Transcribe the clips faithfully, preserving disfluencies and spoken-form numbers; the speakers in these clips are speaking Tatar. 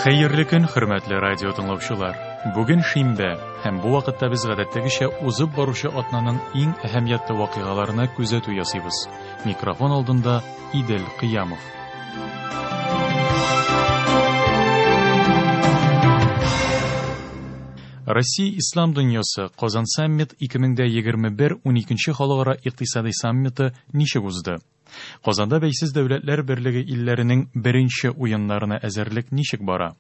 Хәерле көн, хөрмәтле радио тыңлаучылар. Бүген шимбә, һәм бу вакытта без гадәттәгечә узып баручы атнаның иң әһәмиятле вакыйгаларына күзәтү ясыйбыз. Микрофон алдында Идел Кыямов. Россия Ислам дөньясы Казан саммит ике мең егерме бер уникенче халыкара икътисади саммиты ничек узды? Казанда Бәйсез Дәүләтләр Берлеге илләренең беренче уеннарына әзерлек ничек бара?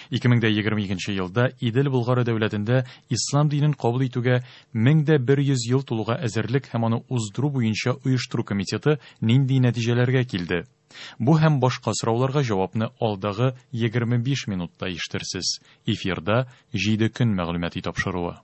ике мең егерме икенче елда Идел Болгары дәүләтендә ислам динен кабул итүгә мең дә бер йөз ел тулуга әзерлек һәм аны уздыру буенча оештыру комитеты нинди нәтиҗәләргә килде? Бу һәм башка сорауларга җавапны алдагы егерме биш минутта ишетерсез. Эфирда җиде көн мәгълүмати тапшыруы.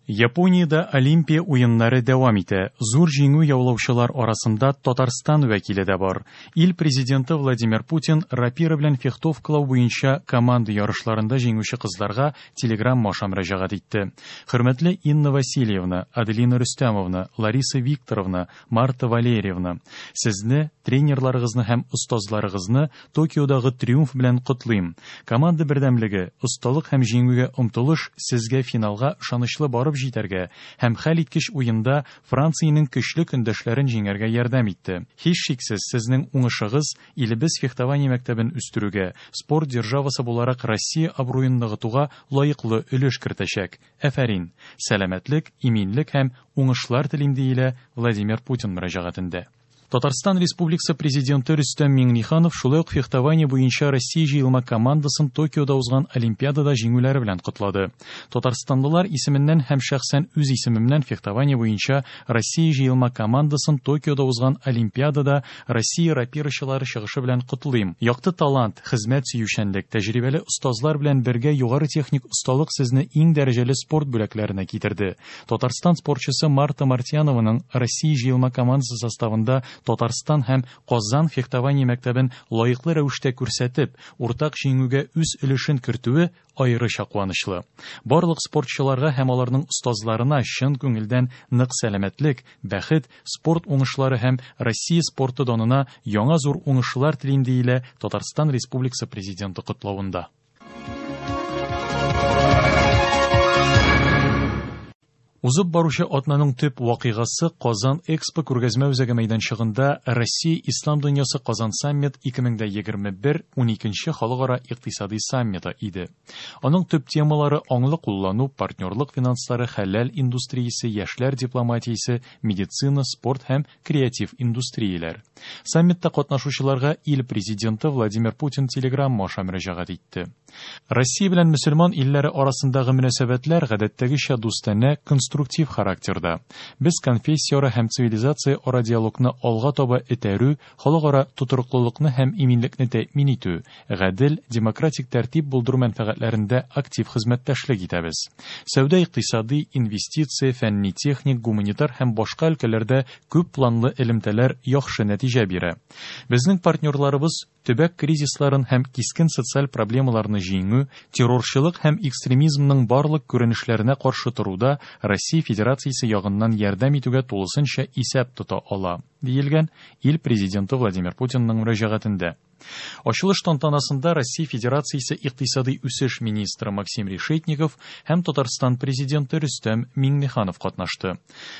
Япониядә Олимпия уеннары дәвам итә. Зур җиңү яулаучылар арасында Татарстан вәкиле дә бар. Ил президенты Владимир Путин рапира белән фехтовкалау буенча команда ярышларында җиңүче кызларга телеграмма аша мөрәҗәгать итте. Хөрмәтле Инна Васильевна, Аделина Рөстәмовна, Лариса Викторовна, Марта Валерьевна, сезне, тренерларыгызны һәм остазларыгызны Токиодагы триумф белән котлыйм. Команда бердәмлеге, осталык һәм җиңүгә омтылыш сезгә финалга ышанычлы барып җитәргә һәм хәл иткеч уенда Франциянең көчле көндәшләрен җиңәргә ярдәм итте. Һичшиксез, сезнең уңышыгыз илебез фехтование мәктәбен үстерүгә, спорт державасы буларак Россия абруен ныгытуга лаеклы өлеш кертәчәк. Афәрин! Сәламәтлек, иминлек һәм уңышлар телим, диелә Владимир Путин мөрәҗәгатендә. Татарстан Республикасы президенты Рөстәм Миңнеханов шулай ук фехтование буенча Россия җыелма командасын Токиода узган Олимпиадада җиңүләре белән котлады. Татарстанлылар исеменнән һәм шәхсән үз исемемнән фехтование буенча Россия җыелма командасын Токиода узган Олимпиадада Россия рапирачылары чыгышы белән котлыйм. Якты талант, хезмәт сөючәнлек, тәҗрибәле остазлар белән бергә югары техник осталык сезне иң дәрәҗәле спорт бүләкләренә китерде. Татарстан спортчысы Марта Мартьянованың Россия җыелма командасы составында Татарстан һәм Казан фехтование мәктәбен лаеклы рәвештә күрсәтеп, уртак җиңүгә үз өлешен кертүе аеруча куанычлы. Барлык спортчыларга һәм аларның остазларына чын күңелдән нык сәламәтлек, бәхет, спорт уңышлары һәм Россия спорты данына яңа зур уңышлар телим, диелә Татарстан Республикасы президенты котлавында. Узып баручы атнаның төп вакыйгасы Казан Экспо күргәзмә үзәге мәйданчыгында Россия Ислам дөньясы Казан саммит ике мең егерме бер уникенче халыкара икътисади саммиты иде. Аның төп темалары аңлы куллану, партнерлык финанслары, хәләл индустриясе, яшьләр дипломатиясе, медицина, спорт һәм креатив индустрияләр. Саммитта катнашучыларга ил президенты Владимир Путин телеграмма аша мөрәҗәгать итте. Россия белән мөселман илләре арасындагы мөнәсәбәтләр гадәттәгечә дустанә, конструктив характерда. Без конфессияара һәм цивилизация ара диалогны алга таба этәрү, халыкара тотрыклылыкны һәм иминлекне тәэмин итү, гадел, демократик тәртип булдыру мәнфәгатьләрендә актив хезмәттәшлек итәбез. Сәүдә, икътисади, инвестиция, фәнни-техник, гуманитар һәм башка өлкәләрдә күп планлы элемтәләр яхшы нәтиҗә бирә. Безнең партнерларыбыз төбәк кризисларын һәм кискен социаль проблемаларны җиңү, террорчылык һәм экстремизмның барлык күренешләренә каршы торуда Россия Федерациясе ягыннан ярдәм итүгә тулысынча исәп тота ала, диелгән ил президенты Владимир Путинның мөрәҗәгатендә. Ачылыш тантанасында Россия Федерациясе икътисади үсеш министры Максим Решетников һәм Татарстан президенты Рөстәм Миңнеханов катнашты.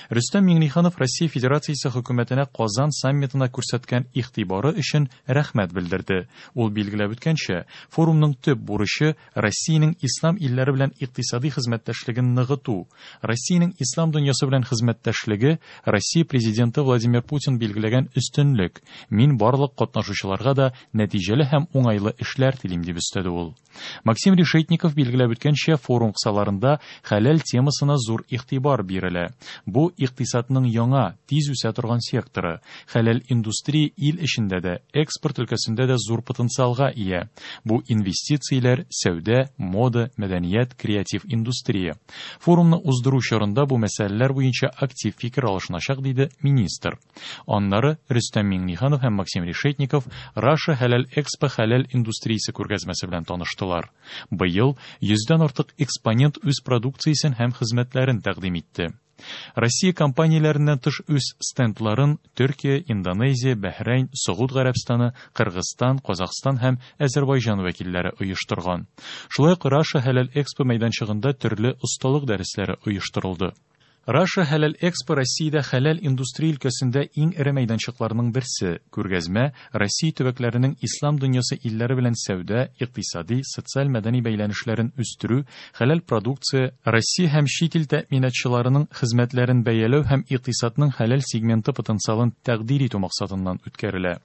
Рөстәм Миңнеханов Россия Федерациясе хөкүмәтенә Казан саммитына күрсәткән игътибары өчен рәхмәт белдерде. Ул билгеләп үткәнчә, форумның төп бурычы Россиянең ислам илләре белән икътисади хезмәттәшлеген ныгыту. Россиянең ислам дөньясы белән хезмәттәшлеге Россия президенты Владимир Путин билгеләгән өстенлек. Мин барлык катнашучыларга да нәтиҗәле һәм уңайлы эшләр телим, дип өстәде ул. Максим Решетников билгеләп үткәнчә, форум кысаларында хәләл темасына зур игътибар бирелә. Бу икътисадның яңа, тиз үсә торган секторы. Хәләл индустрия ил эчендә дә, экспорт өлкәсендә дә зур потенциалга ия. Бу инвестицияләр, сәүдә, мода, мәдәният, креатив индустрия. Форумны уздыру чорында бу мәсьәләләр буенча актив фикер алышыначак, диде министр. Аннары Рөстәм Миңнеханов һәм Максим Решетников Russia Хәләл Экспо хәләл индустриясе күргәзмәсе белән таныштылар. Быел йөздән артык экспонент үз продукциясен һәм хезмәтләрен тәкъдим итте. Россия компанияләреннән тыш үз стендларын Төркия, Индонезия, Бәһрәйн, Согуд Гарәбстаны, Кыргызстан, Казахстан һәм Әзербайҗан вәкилләре оештырган. Шулай ук Russia Halal Expo мәйданчыгында төрле осталык дәресләре оештырылды. Russia Halal Expo Россиядә хәләл индустрия өлкәсендә иң эре мәйданчыкларның берсе. Күргәзмә Россия төбәкләренең ислам дөньясы илләре белән сәүдә, икътисади, социаль мәдәни бәйләнешләрен үстерү, хәләл продукция, Россия һәм чит ил тәэминатчыларының хезмәтләрен бәяләү һәм икътисадның хәләл сегменты потенциалын тәкъдир итү максатыннан үткәрелә.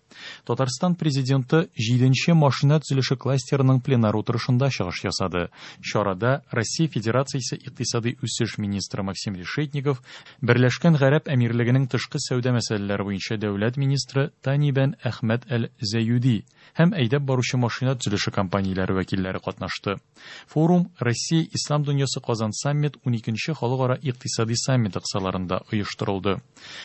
Татарстан президенты җиденче машина төзелеше кластерының пленар утырышында чыгыш ясады. Чарада Россия Федерациясе икътисади үсеш министры Максим Решетников, Берләшкән Гарәп Әмирлегенең тышкы сәүдә мәсьәләләре буенча дәүләт министры Тани бен Әхмәд әл-Зәюди һәм әйдәп баручы машина төзелеше компанияләре вәкилләре катнашты. Форум Россия Ислам дөньясы Казан саммит уникенче халыкара икътисади саммиты кысаларында оештырылды.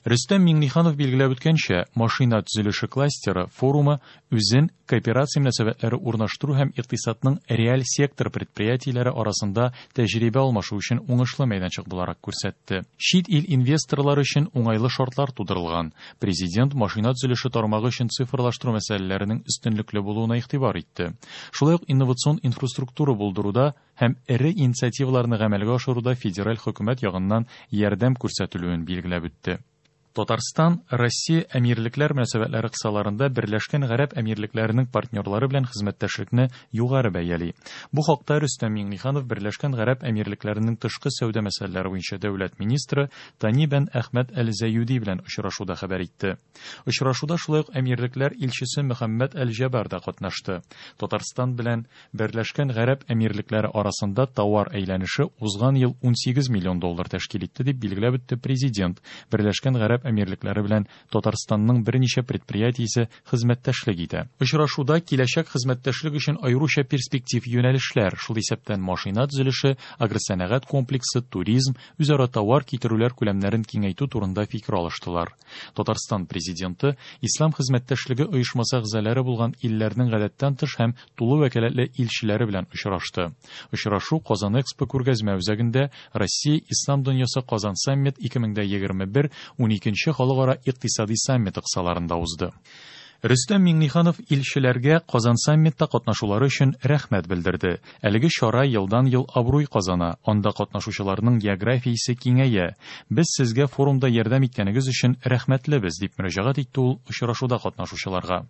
Рөстәм Миңнеханов билгеләп үткәнчә, машина төзелеше кластеры форумы үзен кооперация мөнәсәбәтләре урнаштыру һәм икътисадның реаль сектор предприятиеләре арасында тәҗрибә алмашу өчен уңышлы мәйданчык буларак күрсәтте. Чит ил инвесторлары өчен уңайлы шартлар тудырылган. Президент машина төзелеше тармагы өчен цифрлаштыру мәсьәләләренең өстенлекле булуына игътибар итте. Шулай ук инновацион инфраструктура булдыруда һәм эре инициативаларны гамәлгә ашыруда федераль хөкүмәт ягыннан ярдәм күрсәтелүен билгеләп үтте. Татарстан Россия Әмирлекләр мөнәсәбәтләре кысаларында Берләшкән Гарәп Әмирлекләренең партнерлары белән хезмәттәшлекне югары бәяли. Бу хакта Рөстәм Миңнеханов Берләшкән Гарәп Әмирлекләренең тышкы сәүдә мәсьәләләре буенча дәүләт министры Тани бен Әхмәд әл-Зәюди белән очрашуда хәбәр итте. Очрашуда шулай ук Әмирлекләр илчесе Мөхәммәд әл-Җәбар да катнашты. Татарстан белән Берләшкән Гарәп Әмирлекләре арасында товар әйләнеше узган ел унсигез миллион доллар тәшкил итте, дип билгеләп үтте президент. Берләшкән Гарәп Әмирлекләре белән Татарстанның берничә предприятиесе хезмәттәшлек итә. Очрашуда киләчәк хезмәттәшлек өчен аеруча перспектив юнәлешләр, шул исәптән машина төзелеше, агросәнәгать комплексы, туризм, үзара товар китерүләр күләмнәрен киңәйтү турында фикер алыштылар. Татарстан президенты Ислам хезмәттәшлеге оешмасы әгъзалары булган илләрнең гадәттән тыш һәм тулы вәкаләтле илчеләре белән очрашты. Очрашу Казан Экспо күргәзмә үзәгендә Россия Ислам дөньясы Казан саммит ике мең дә егерме бер уникенче халыкара икътисади саммиты кысаларында узды. Рөстәм Миңнеханов илчеләргә Казан саммитта катнашулары өчен рәхмәт белдерде. Әлеге чара елдан-ел абруй казана, анда катнашучыларның географиясе киңәя. Без сезгә форумда ярдәм иткәнегез өчен рәхмәтлебез, дип мөрәҗәгать итте ул очрашуда катнашучыларга.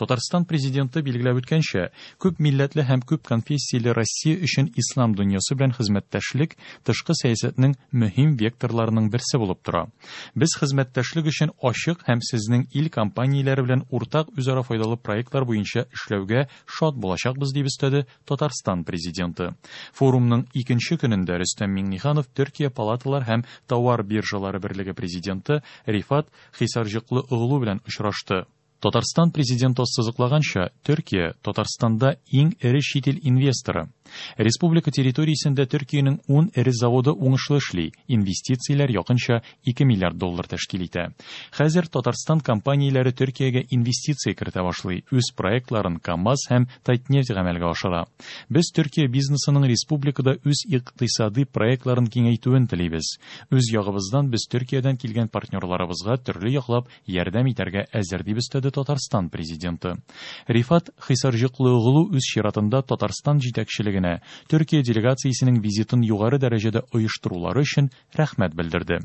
Татарстан президенты билгеләп үткәнчә, күп милләтле һәм күп конфессияле Россия өчен ислам дөньясы белән хезмәттәшлек тышкы сәясәтнең мөһим векторларының берсе булып тора. Без хезмәттәшлек өчен ачык һәм сезнең ил компанияләре белән уртак үзара файдалы проектлар буенча эшләүгә шат булачакбыз, дип өстәде Татарстан президенты. Форумның икенче көнендә Рөстәм Миңнеханов Төркия палаталар һәм товар биржалары берлеге президенты Рифат Хисарҗыклы оглу белән очрашты. Татарстан президенты ассызыклаганча, Төркия Татарстанда иң эре чит ил инвесторы. Республика территориясендә Төркиянең ун эре заводы уңышлы эшли, инвестицияләр якынча ике миллиард доллар тәшкил итә. Хәзер Татарстан компанияләре Төркиягә инвестиция кертә башлый, үз проектларын КАМАЗ һәм Татнефть гамәлгә ашыра. Без Төркия бизнесының республикада үз икътисади проектларын киңәйтүен телибез. Үз ягыбыздан без Төркиядән килгән партнерларыбызга төрле яклап ярдәм итәргә әзер, дип өстәде Татарстан президенты. Рифат Хисарҗыклыоглу үз чиратында Татарстан җитәкчелегенә Төркия делегациясенең визитын югары дәрәҗәдә оештырулары өчен рәхмәт белдерде.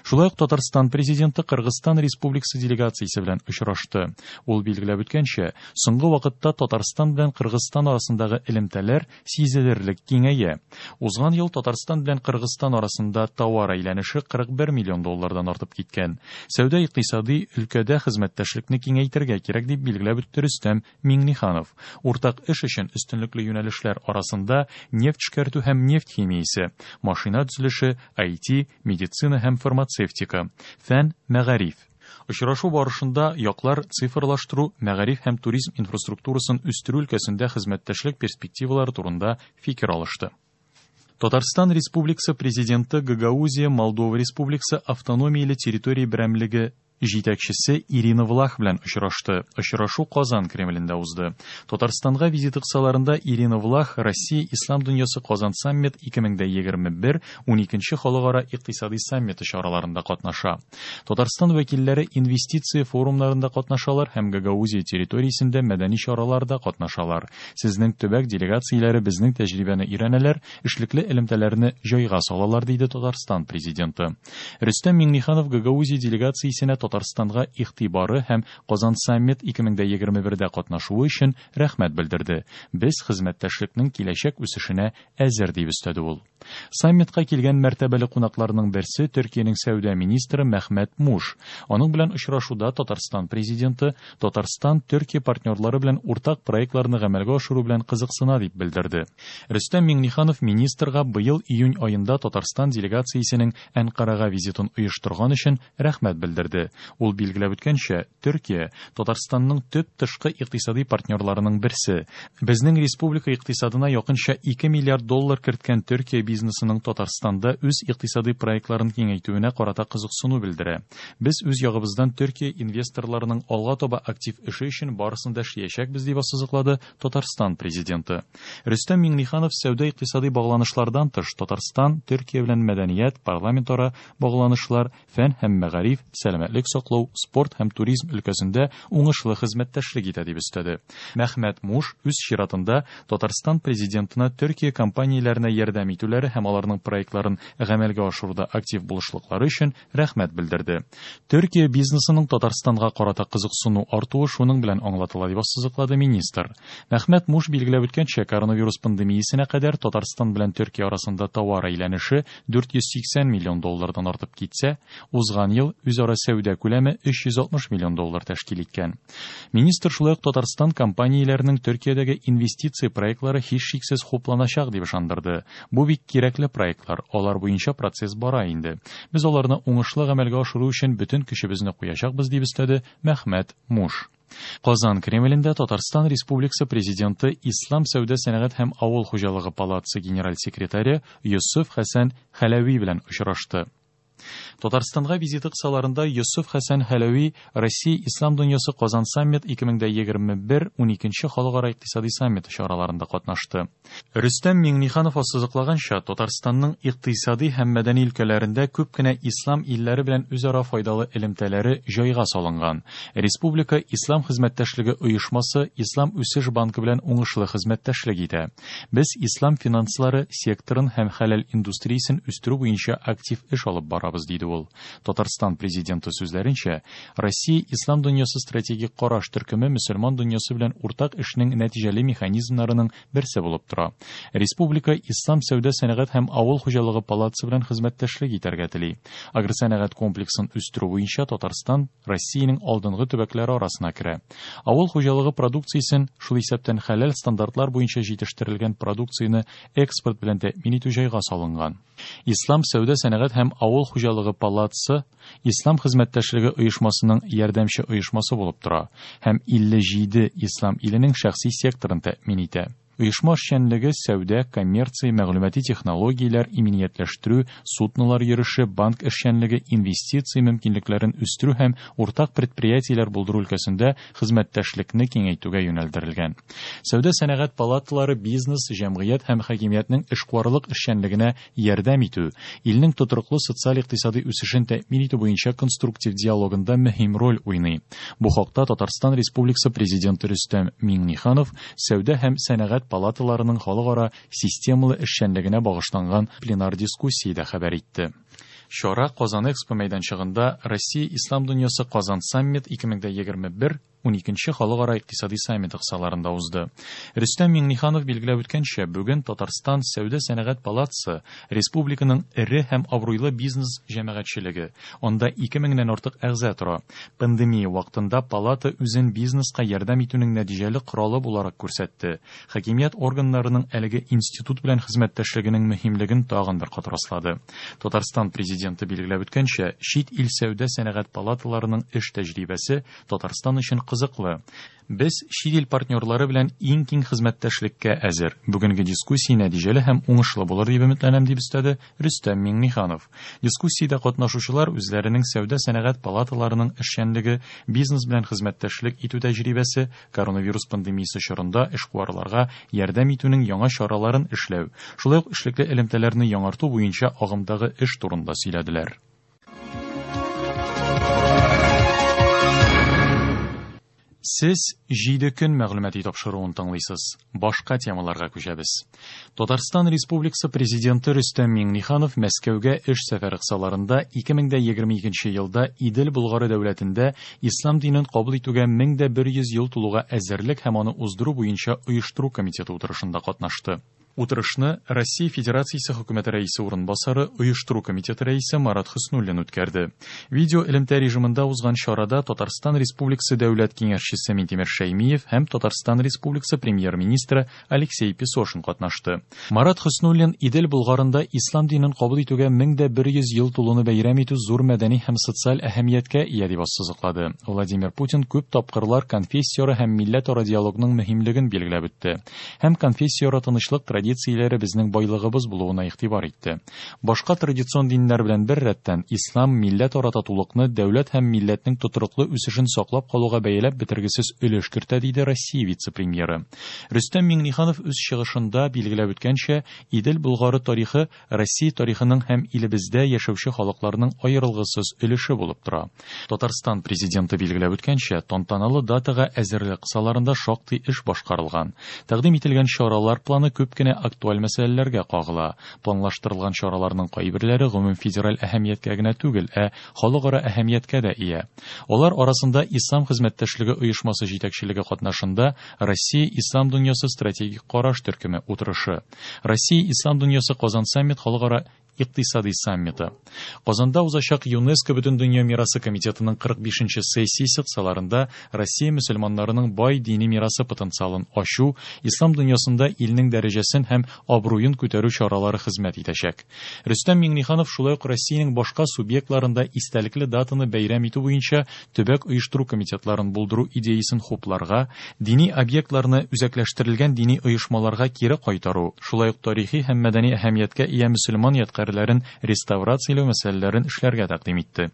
Шулай ук Татарстан президенты Кыргызстан Республикасы делегациясе белән очрашты. Ул билгеләп үткәнчә, соңгы вакытта Татарстан белән Кыргызстан арасындагы элемтәләр сизелерлек киңәя. Узган ел Татарстан белән Кыргызстан арасында товар әйләнеше кырык бер миллион доллардан артып киткән. Сәүдә икътисади өлкәдә хезмәттәшлекне киңәйтергә кирәк, дип билгеләп үтте Рөстәм Миңнеханов. Уртак эш өчен өстенлекле юнәлешләр арасында нефть эшкәртү һәм нефть химиясе, машина төзелеше, ай ти, медицина һәм фармацевтика, фән, мәгариф. Очрашу барышында яклар цифрлаштыру, мәгариф һәм туризм инфраструктурасын үстерү өлкәсендә хезмәттәшлек перспективалары турында фикер алышты. Татарстан Республикасы президенты Гагаузия Молдова Республикасы автономияле территория берәмлеге җитәкчесе Ирина Влах белән очрашты. Очрашу Казан Кремлендә узды. Татарстанга визиты кысаларында Ирина Влах Россия Ислам дөньясы Казан саммит ике мең егерме бер уникенче халыкара икътисади саммиты чараларында катнаша. Татарстан вәкилләре инвестиция форумнарында катнашалар һәм Гагаузия территориясендә мәдәни чараларда катнашалар. Сезнең төбәк делегацияләре безнең тәҗрибәне өйрәнәләр, эшлекле элемтәләрне җайга салалар, диде Татарстан президенты. Рөстәм Миңнеханов Гагаузия делегациясенә Татарстанга игътибары һәм Казан саммит ике мең егерме бердә катнашуы өчен рәхмәт белдерде. Без хезмәттәшлекнең киләчәк үсешенә әзер, дип өстәде ул. Саммитка килгән мәртәбәле кунакларның берсе Төркиянең сәүдә министры Мәхмәт Муш. Аның белән очрашуда Татарстан президенты Татарстан Төркия партнерлары белән уртак проектларны гамәлгә ашыру белән кызыксына дип белдерде. Рөстәм Миңнеханов министрга быел июнь аенда Татарстан делегациясенең Әнкарага визитын оештырган өчен рәхмәт белдерде. Ул билгеләп үткәнчә, Төркия Татарстанның төп тышкы икътисади партнерларының берсе. Безнең республика икътисадына якынча ике миллиард доллар керткән Төркия бизнесының Татарстанда үз икътисади проектларын киңәйтүенә карата кызыксыну белдерә. Без үз ягыбыздан Төркия инвесторларының алга таба актив эше өчен барысын да эшләячәкбез, дип ассызыклады Татарстан президенты. Рөстәм Миңнеханов сәүдә икътисади багланышлардан тыш Татарстан Төркия белән мәдәният, парламентара багланышлар, фән һәм мәгариф, сәламәтлек саклау, спорт һәм туризм өлкәсендә уңышлы хезмәттәшлек итә дип өстәде. Мәхмәт Муш үз чиратында Татарстан президентына Төркия компанияләренә ярдәм итүләре һәм аларның проектларын гамәлгә ашыруда актив булышлыклары өчен рәхмәт белдерде. Төркия бизнесының Татарстанга карата кызыксыну артуы шуның белән аңлатыла, дип ассызыклады министр. Мәхмәт Муш билгеләп үткәнчә, коронавирус пандемиясенә кадәр Татарстан белән Төркия арасында товар әйләнеше дүрт йөз сиксән миллион доллардан артып китсә, узган ел үзара сәүдә күләме өч йөз алтмыш миллион доллар тәшкил иткән. Министр шулай ук Татарстан компанияләренең Төркиядәге инвестиция проектлары һичшиксез хупланачак дип ышандырды. Бу бик кирәкле проектлар, алар буенча процесс бара инде. Без аларны уңышлы гамәлгә ашыру өчен бөтен көчебезне куячакбыз, дип өстәде Мәхмәт Муш. Казан Кремлендә Татарстан Республикасы президенты Ислам сәүдә сәнәгать һәм авыл хуҗалыгы палатасы генераль секретаре Йосыф Хәсән Хәләви белән очрашты. Татарстанга визиты кысаларында Йосыф Хәсән Хәләви Россия Ислам дөньясы Казан саммит ике мең егерме бер уникенче халыкара икътисади саммиты чараларында катнашты. Рөстәм Миңнеханов ассызыклаганча, Татарстанның икътисади һәм мәдәни өлкәләрендә күп кенә ислам илләре белән үзара файдалы элемтәләре җайга салынган. Республика Ислам хезмәттәшлеге оешмасы Ислам үсеш банкы белән уңышлы хезмәттәшлек итә. Без ислам финанслары секторын һәм хәләл индустриясен үстерү буенча актив эш алып барабыз, диде ул. Татарстан президенты сүзләренчә, Россия Ислам дөньясы стратегик караш төркеме мөселман дөньясы белән уртак эшнең нәтиҗәле механизмнарының берсе булып тора. Республика Ислам сәүдә сәнәгать һәм авыл хуҗалыгы палатасы белән хезмәттәшлек итәргә тели. Агросәнәгать комплексын үстерү буенча Татарстан Россиянең алдынгы төбәкләре арасына керә. Авыл хуҗалыгы продукциясен, шул исәптән хәләл стандартлар буенча җитештерелгән продукцияне экспорт белән тәэмин итү җайга салынган. Ислам сәүдә сәнәгать һәм авыл хуҗалыгы палатасы Ислам хезмәттәшлеге оешмасының ярдәмче оешмасы булып тора һәм илле җиде ислам иленең шәхси секторын тәэмин итә. Оешма эшчәнлеге сәүдә, коммерция, мәгълүмати технологияләр, иминиятләштерү, суднолар йөреше, банк эшчәнлеге, инвестиция мөмкинлекләрен үстерү һәм уртак предприятиеләр булдыру өлкәсендә хезмәттәшлекне киңәйтүгә юнәлдерелгән. Сәүдә сәнәгать палаталары бизнес, җәмгыять һәм хакимиятнең эшкуарлык эшчәнлегенә ярдәм итү, илнең тотрыклы социаль-икътисади үсешен тәэмин итү буенча конструктив диалогында мөһим роль уйный. Бу хакта Татарстан Республикасы президенты Рөстәм Миңнеханов сәүдә һәм сәнәгать палаталарының халыкара системалы эшчәнлегенә багышланган пленар дискуссиядә хәбәр итте. Чара Казан Экспо мәйданчыгында Россия Ислам дөньясы Казан саммит ике мең егерме бер уникенче халыкара икътисади саммиты кысаларында узды. Рөстәм Миңнеханов билгеләп үткәнчә, бүген Татарстан Сәүдә сәнәгать палатасы республиканың эре һәм абруйлы бизнес җәмәгатьчелеге. Анда ике меңнән артык әгъза тора. Пандемия вакытында палата үзен бизнеска ярдәм итүнең нәтиҗәле коралы буларак күрсәтте. Хакимият органнарының әлеге институт белән хезмәттәшлегенең мөһимлеген тагын бер кат раслады. Татарстан президенты билгеләп үткәнчә, чит ил сәүдә сәнәгать палаталарының эш тәҗрибәсе Татарстан өчен кызыклы. Без чит ил партнерлары белән иң киң хезмәттәшлеккә әзер. Бүгенге дискуссия нәтиҗәле һәм уңышлы булыр дип өметләнәм, дип өстәде Рөстәм Миңнеханов. Дискуссиядә катнашучылар үзләренең сәүдә-сәнәгать палаталарының эшчәнлеге, бизнес белән хезмәттәшлек итү тәҗрибәсе, коронавирус пандемиясе чорында эшкуарларга ярдәм итүнең яңа чараларын эшләү, шулай ук эшлекле элемтәләрне яңарту буенча агымдагы эш турында сөйләделәр. Сез җиде көн мәгълүмати тапшыруын тыңлыйсыз. Башка темаларга күчәбез. Татарстан Республикасы Президенты Рөстәм Миңнеханов Мәскәүгә эш сәфәре кысаларында ике мең дә егерме икенче елда Идел Болгары дәүләтендә ислам динен кабул итүгә мең дә бер йөз ел тулуга әзерлек һәм аны уздыру буенча оештыру комитеты утырышында катнашты. Утырышны Россия Федерациясе Хөкүмәте рәисе урынбасары, оештыру комитеты рәисе Марат Хөснуллин үткәрде. Видео элемтә режимында узган чарада Татарстан Республикасы Дәүләт Киңәшчесе Минтимер Шәймиев һәм Татарстан Республикасы Премьер-министры Алексей Песошин катнашты. Марат Хөснуллин Идел Болгарында ислам динен кабул итүгә мең дә бер йөз ел тулуны бәйрәм итү зур мәдәни һәм социаль әһәмияткә ия дип ассызыклады. Владимир Путин күп тапкырлар конфессияара һәм милләтара диалогның мөһимлеген билгеләп үтте. Һәм конфессияара тынычлык традицияләре безнең байлыгыбыз булуына игътибар итте. Башка традицион диннәр белән бер рәттән ислам милләтара татулыкны, дәүләт һәм милләтнең тотрыклы үсешен саклап калуга бәяләп бетергесез өлеш кертә, диде Россия вице-премьеры. Рөстәм Миңнеханов үз чыгышында билгеләп үткәнчә, Идел Болгары тарихы Россия тарихының һәм илебездә яшәүче халыкларның аерылгысыз өлеше булып тора. Татарстан президенты билгеләп үткәнчә, тантаналы датага әзерлек кысаларында шактый эш башкарылган. Тәкъдим ителгән чаралар планы күп кенә актуаль мәсьәләләргә кагыла. Планлаштырылган чараларның кайберләре гомум федераль әһәмияткә генә түгел, ә халыкара әһәмияткә дә ия. Алар арасында Ислам хезмәттәшлеге оешмасы җитәкчелеге катнашында Россия Ислам дөньясы стратегик караш төркеме утырышы, Россия Ислам дөньясы Казан саммит халыкара икътисади саммиты. Казанда узачак ЮНЕСКО Бөтендөнья мирасы комитетының кырык бишенче сессиясе кысаларында Россия мөселманнарының бай дини мирасы потенциалын ачу, ислам дөньясында илнең дәрәҗәсен һәм абруен күтәрү чаралары хезмәт итәчәк. Рөстәм Миңнеханов шулай ук Россиянең башка субъектларында истәлекле датаны бәйрәм итү буенча төбәк оештыру комитетларын булдыру идеясын хупларга, дини объектларны үзәкләштерелгән дини оешмаларга кире кайтару, шулай ук тарихи һәм мәдәни әһәмияткә ия мөселман ядкарьләрен реставрацияләү мәсьәләләрен эшләргә тәкъдим итте.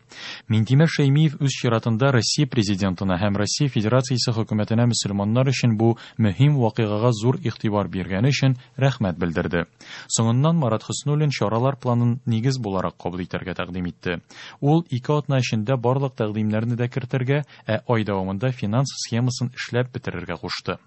Минтимер Шәймиев үз чиратында Россия президентына һәм Россия Федерациясе хөкүмәтенә мөселманнар өчен бу мөһим вакыйгага зур игътибар биргәне өчен рәхмәт белдерде. Соңыннан Марат Хөснуллин чаралар планын нигез буларак кабул итәргә тәкъдим итте. Ул ике атна эчендә барлык тәкъдимнәрне дә кертергә, ә ай дәвамында финанс схемасын эшләп бетерергә кушты.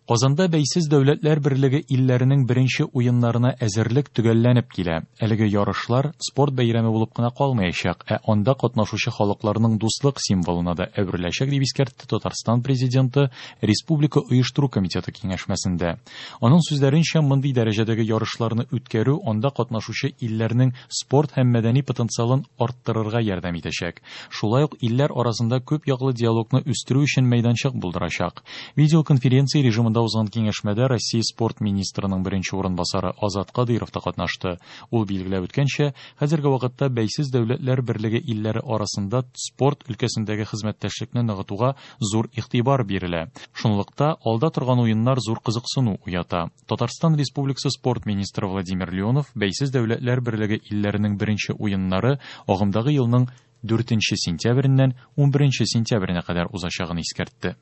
Казанда Бәйсез Дәүләтләр Берлеге илләренең беренче уеннарына әзерлек төгәлләнеп килә. Әлеге ярышлар спорт бәйрәме булып кына калмаячак, ә анда катнашучы халыкларның дуслык символына да әвереләчәк, дип искәртте Татарстан президенты Республика оештыру комитеты киңәшмәсендә. Аның сүзләренчә, мондый дәрәҗәдәге ярышларны үткәрү анда катнашучы илләрнең спорт һәм мәдәни потенциалын арттырырга ярдәм итәчәк. Шулай ук илләр арасында күп яклы диалогны үстерү өчен мәйданчык булдырачак. Видеоконференция режимында узган киңәшмәдә Россия спорт министрының беренче урынбасары Азат Кадыйров та катнашты. Ул билгеләп үткәнчә, хәзерге вакытта Бәйсез Дәүләтләр Берлеге илләре арасында спорт өлкәсендәге хезмәттәшлекне ныгытуга зур игътибар бирелә. Шунлыкта алда торган уеннар зур кызыксыну уята. Татарстан Республикасы спорт министры Владимир Леонов Бәйсез Дәүләтләр Берлеге илләренең беренче уеннары агымдагы елның дүртенче сентябреннән унберенче сентябренә кадәр узачагын искәртте.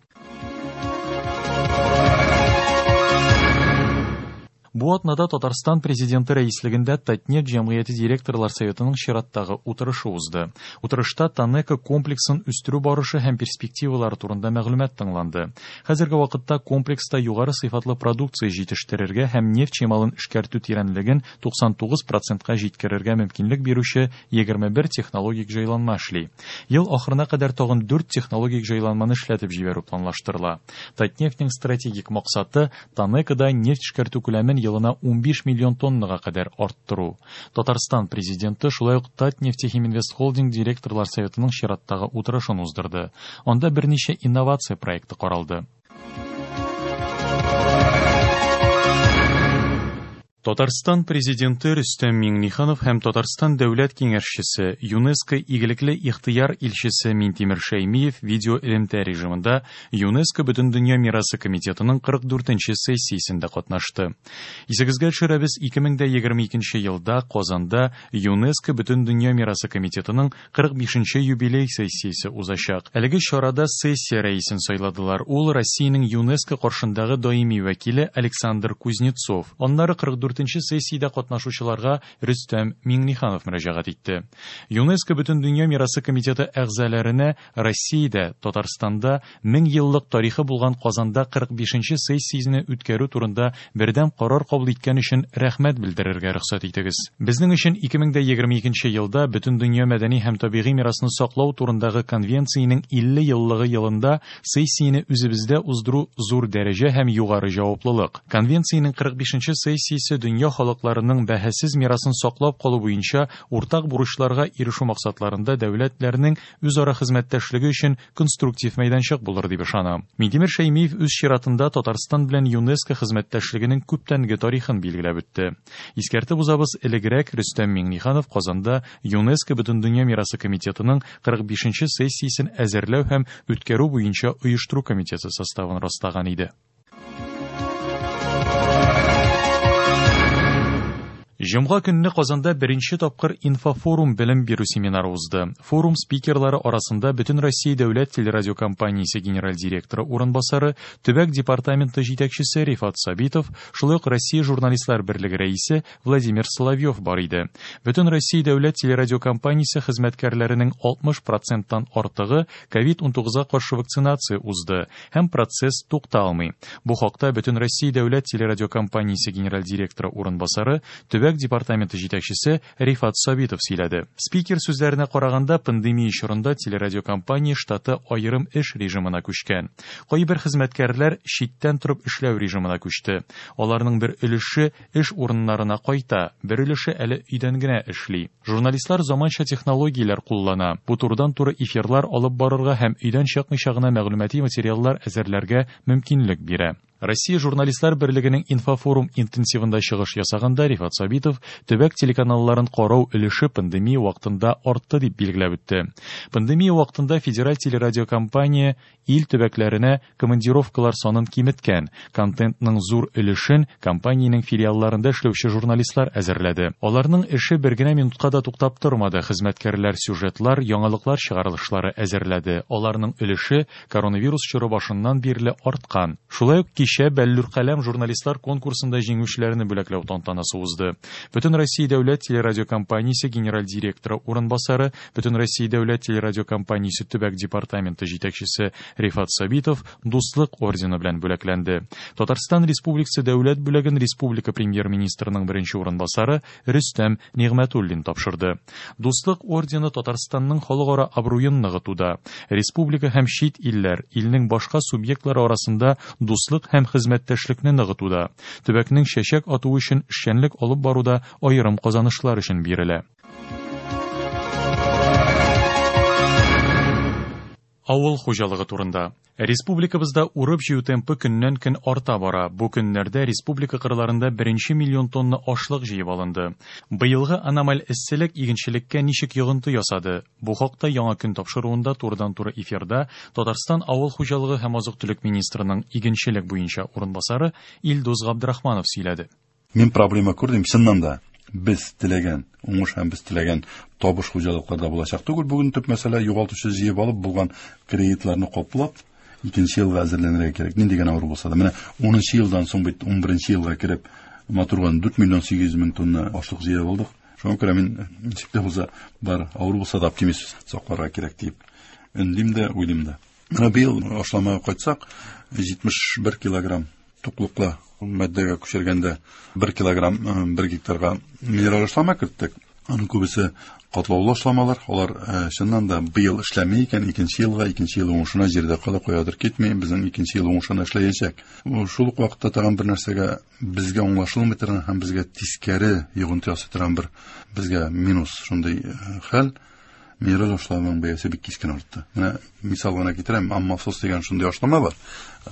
Бу атнада Татарстан президенты рәислегендә Татнефть җәмгыяте директорлар советының чираттагы утырышы узды. Утырышта ТАНЕКО комплексын үстерү барышы һәм перспективалары турында мәгълүмат тыңланды. Хәзерге вакытта комплекста югары сыйфатлы продукция җитештерергә һәм нефть чималын эшкәртү тирәнлеген туксан тугыз процентка җиткерергә мөмкинлек бирүче егерме бер технологик җайланма эшли. Ел ахырына кадәр тагын дүрт технологик җайланманы эшләтеп җибәрү планлаштырыла. Татнефтьнең стратегик максаты ТАНЕКОда нефть эшкәртү күләмен елына унбиш миллион тоннага кадәр арттыру. Татарстан президенты шулай ук Татнефтехиминвест Холдинг директорлар советының чираттагы утырышын уздырды. Анда берничә инновация проекты каралды. Татарстан президенты Рөстәм Миңнеханов һәм Татарстан дәүләт киңәшчесе, ЮНЕСКО игелекле ихтыяр илчесе Минтимер Шәймиев видео элемтә режимында ЮНЕСКО Бөтендөнья мирасы комитетының кырык дүртенче сессиясендә катнашты. Исегезгә төшерәбез, ике мең дә егерме икенче елда Казанда ЮНЕСКО Бөтендөнья мирасы комитетының кырык бишенче юбилей сессиясе узачак. Әлеге чарада сессия рәисен сайладылар. Ул Россиянең ЮНЕСКО каршындагы даими вәкиле Александр Кузнецов. Аннары кырык дүртенче сессиядә катнашучыларга Рөстәм Миңнеханов мөрәҗәгать итте. ЮНЕСКО Бөтендөнья мирасы комитеты әгъзаларына Россиядә, Татарстанда мең еллык тарихы булган Казанда кырык бишенче сессиясен үткәрү турында бердәм карар кабул иткән өчен рәхмәт белдерергә рөхсәт итегез. Безнең өчен ике мең дә егерме икенче елда Бөтендөнья мәдәни һәм табигый мирасны саклау турындагы конвенциянең илле еллыгы елында сессияне үзебездә уздыру зур дәрәҗә һәм югары җаваплылык. Конвенциянең кырык бишенче сессиясе дөнья халыкларының бәһасез мирасын саклап калу буенча уртак бурычларга ирешү максатларында дәүләтләрнең үзара хезмәттәшлеге өчен конструктив мәйданчык булыр дип ышанам. Минтимер Шәймиев үз чиратында Татарстан белән ЮНЕСКО хезмәттәшлегенең күптәнге тарихын билгеләп үтте. Искәртеп узабыз, элегрәк Рөстәм Миңнеханов Казанда ЮНЕСКО Бөтендөнья мирасы комитетының кырык бишенче сессиясен әзерләү һәм үткәрү буенча оештыру комитеты составын раслаган иде. Җомга көнне Казанда беренче тапкыр инфофорум белем бирү семинары узды. Форум спикерлары арасында Бөтен Россия дәүләт телерадиокомпаниясе генераль директоры урынбасары, төбәк департаменты җитәкчесе Рифат Сабитов, шулай ук Россия журналистлар берлеге рәисе Владимир Соловьев бар иде. Бөтен Россия дәүләт телерадиокомпаниясе хезмәткәрләренең алтмыш проценттан артыгы ковид унтугызга каршы вакцинация узды һәм процесс тукталмый. Бу хакта Бөтен Россия дәүләт телерадиокомпаниясе генераль директоры урынбасары, төбәк департаменты җитәкчесе Рифат Сабитов сөйләде. Спикер сүзләренә караганда, пандемия чорында телерадиокомпания штаты аерым эш режимына күчкән. Кайбер хезмәткәрләр читтән торып эшләү режимына күчте. Аларның бер өлеше эш урыннарына кайта, бер өлеше әле өйдән генә эшли. Журналистлар заманча технологияләр куллана. Бу турыдан-туры эфирлар алып барырга һәм өйдән чыкмыйча гына мәгълүмати материаллар әзерләргә мөмкинлек бирә. Россия журналистлар берлегенең инфофорум интенсивында чыгыш ясаганда Рифат Сабитов төбәк телеканалларын карау өлеше пандемия вакытында артты дип билгеләп үтте. Пандемия вакытында федераль телерадиокомпания ил төбәкләренә командировкалар санын киметкән, контентның зур өлешен компаниянең филиалларында эшләүче журналистлар әзерләде. Аларның эше бер генә минутка да туктап тормады. Хезмәткәрләр сюжетлар, яңалыклар чыгарылышлары әзерләде. Аларның өлеше коронавирус чоры башыннан бирле арткан. Шулай ук кичә Бәллүр каләм журналистлар конкурсында җиңүчеләрне бүләкләү тантанасы узды. Бөтен Россия дәүләт телерадиокомпаниясе генераль директоры урынбасары, Бөтен Россия дәүләт телерадиокомпаниясе төбәк департаменты җитәкчесе Рифат Сабитов Дуслык ордены белән бүләкләнде. Татарстан Республикасы дәүләт бүләген республика премьер-министрының беренче урынбасары Рөстәм Нигъмәтуллин тапшырды. Дуслык ордены Татарстанның халыкара абруен ныгытуда, республика һәм чит илләр, илнең башка субъектлары арасында дуслык һәм хезмәттәшлекне ныгытуда, төбәкнең чәчәк атуы өчен эшчәнлек алып баруда аерым казанышлар өчен бирелә. Авыл хуҗалыгы турында. Республикабызда урып-җыю темпы көннән-көн арта бара. Бу көннәрдә республика кырларында беренче миллион тонна ашлык җыеп алынды. Быелгы аномаль эсселек игенчелеккә ничек йогынты ясады? Бу хакта яңа көн тапшыруында турыдан-туры эфирда Татарстан авыл хуҗалыгы һәм азык-төлек министрының игенчелек буенча урынбасары Илдус Габдрахманов сөйләде. Мин проблема күрдем, чыннан да. Без теләгән уңыш һәм без теләгән табыш хуҗалыкларда булачак түгел. Бүген төп мәсьәлә югалтучы җыеп алып булган кредитларны каплап, икенче елга әзерләнергә кирәк. Нинди генә авыр булса да. Менә унынчы елдан соң бит ун беренче елга кереп матурган дүрт миллион сигез йөз мең тонна ашлык җыеп алдык. Шуңа күрә мин ничек тә булса бар авыр булса да оптимист сакларга кирәк дип өндим дә, уйлыйм да. Менә быел ашламага кайтсак, җитмеш бер килограмм туклыклы матдәгә күчергәндә бер килограмм бер гектарга минераль ашлама керттек. Аның күбесе катлаулы ашламалар. Алар чыннан да быел эшләми икән, икенче елга, икенче ел уңышына җирдә кала куядыр китми, безнең икенче ел уңышына эшләячәк. Шул ук вакытта тагын бер нәрсәгә безгә аңлашылмый торган һәм безгә тискәре йогынты ясый торган бер безгә минус шундый хәл. Минераль ашламаның бәясе бик кискен артты. Менә мисал гына китерәм, аммофос дигән шундый ашлама бар.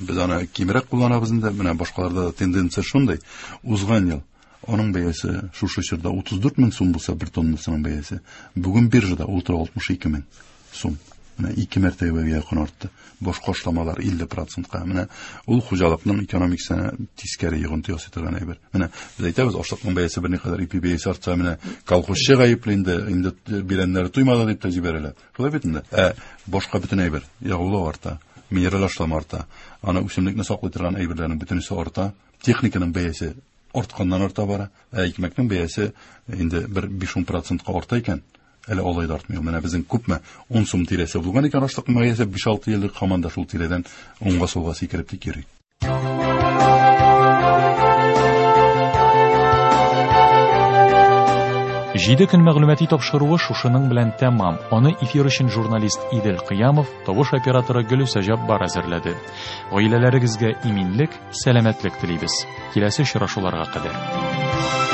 Без аны кимрәк кулланабыз инде, менә башкаларда да тенденция шундый. Узган ел Аның бәясе шушы чорда утыз дүрт мең сум булса, бер тоннасының бәясе бүген биржада ул тора алтмыш ике мең сум. Менә ике мәртәбәгә якын артты. Башка ашламалар илле процентка. Менә ул хуҗалыкның экономикасына тискәре йогынты ясый торган әйбер. Менә без әйтәбез, ашлыкның бәясе берникадәр, ипи бәясе артса, менә колхозчы гаепле инде, инде бирәннәре туймады дип тә җибәрәләр. Шулай бит инде. Ә башка бөтен әйбер, ягулык арта, минераль ашлама арта, аны үсемлекне саклый торган әйберләрнең бөтенесе арта, техниканың бәясе артканнан арта бара. Ә икмәкнең бәясе инде бер биш-ун процентка арта икән, әле алай да артмый. Менә безнең күпме ун сум тирәсе булган икән ашлыкның бәясе, биш-алты еллык һаман да шул тирәдән уңга сулга сикереп тик йөри. Җиде көн мәгълүмати тапшыруы шушының белән тәмам. Аны эфир өчен журналист Идел Кыямов, тавыш операторы Гөлүсә Җаббар әзерләде. Гаиләләрегезгә иминлек, сәламәтлек телибез. Киләсе очрашуларга кадәр.